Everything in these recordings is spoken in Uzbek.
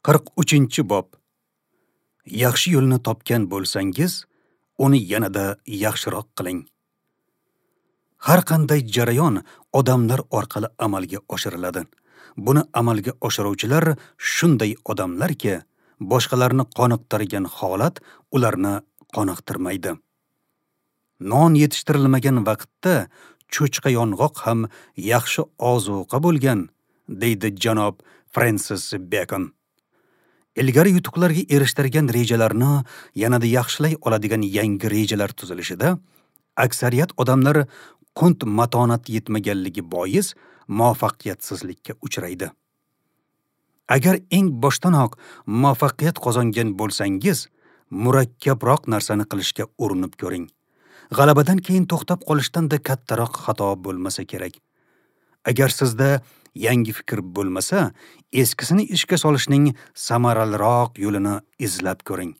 43-bob. Yaxshi yo'lni topgan bo'lsangiz, uni yanada yaxshiroq qiling. Har qanday jarayon odamlar orqali amalga oshiriladi. Buni amalga oshiruvchilar shunday odamlarki, boshqalarni qoniqtirgan holat ularni qoniqtirmaydi. Non yetishtirilmagan vaqtda cho'chqa yong'oq ham yaxshi ozuqa bo'lgan, deydi janob Frensis Bekon. Ilgari yutuqlarga erishtirgan rejalarni yanada yaxshilay oladigan yangi rejalar tuzilishida aksariyat odamlar qunt matonat yetmaganligi bois muvaffaqiyatsizlikka uchraydi. Agar eng boshdanoq muvaffaqiyat qozongan bo'lsangiz, murakkabroq narsani qilishga urinib ko'ring. G'alabadan keyin to'xtab qolishdan-da kattaroq xato bo'lmasa kerak. Agar sizda yangi fikr bo'lmasa, eskisini ishga solishning samaraliroq yo'lini izlab ko'ring.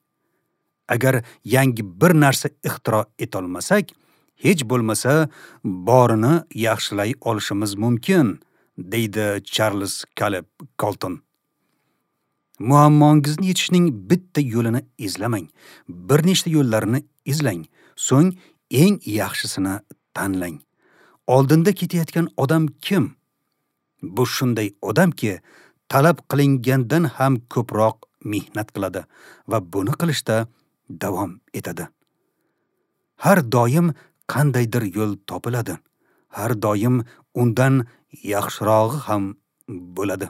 Agar yangi bir narsa ixtiro etolmasak, hech bo'lmasa borini yaxshilay olishimiz mumkin, deydi Charles Caleb Colton. Muammongizni yechishning bitta yo'lini izlamang, bir nechta yo'llarini izlang, so'ng eng yaxshisini tanlang. Oldinda ketayotgan odam kim? Bu shunday odamki, talab qilingandan ham ko'proq mehnat qiladi va buni qilishda davom etadi. Har doim qandaydir yo'l topiladi. Har doim undan yaxshirog'i ham bo'ladi.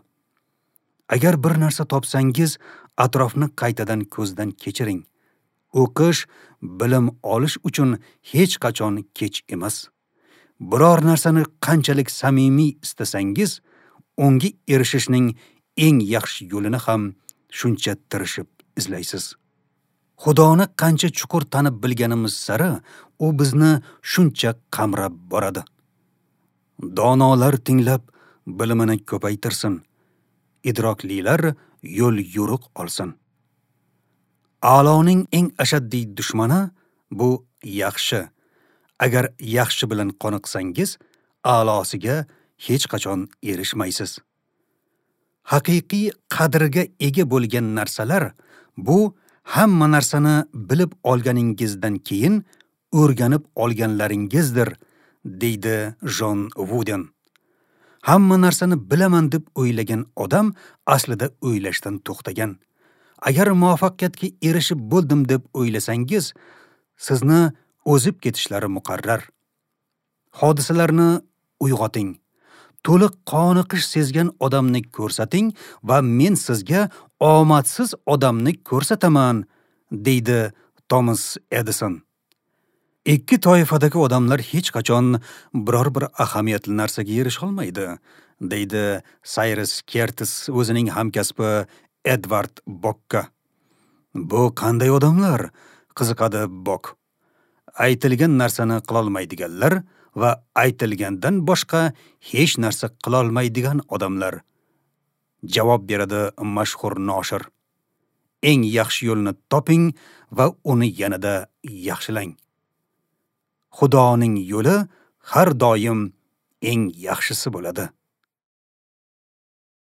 Agar bir narsa topsangiz, atrofni qaytadan ko'zdan kechiring. O'qish, bilim olish uchun hech qachon kech emas. Biror narsani qanchalik samimiy istasangiz, unga erishishning eng yaxshi yo'lini ham shuncha tirishib izlaysiz. Xudoni qancha chuqur tanib bilganimiz sari, u bizni shuncha qamrab boradi. Donolar tinglab bilimini ko'paytirsin, idroklilar yo'l yo'riq olsin. A'loning eng ashaddiy dushmani bu yaxshi. Agar yaxshi bilan qoniqsangiz, a'losiga hech qachon erishmaysiz. Haqiqiy qadrga ega bo'lgan narsalar bu hamma narsani bilib olganingizdan keyin o'rganib olganlaringizdir, deydi Jon Wooden. Hamma narsani bilaman deb o'ylagan odam aslida o'ylashdan to'xtagan. Agar muvaffaqiyatga erishib bo'ldim deb o'ylasangiz, sizni o'zib ketishlari muqarrar. Hodisalarni uyg'oting. To'liq qoniqish sezgan odamni ko'rsating va men sizga omadsiz odamni ko'rsataman, deydi Thomas Edison. Ikki toifadagi odamlar hech qachon biror bir ahamiyatli narsaga erisha olmaydi, deydi Cyrus Kertis o'zining hamkasbi Edward Bokka. Bu qanday odamlar? Qiziqadi Bok. Aytilgan narsani qilolmaydiganlar va aytilgandan boshqa hech narsa qilolmaydigan odamlar, javob beradi mashhur noshir. Eng yaxshi yo'lni toping va uni yanada yaxshilang. Xudoning yo'li har doim eng yaxshisi bo'ladi.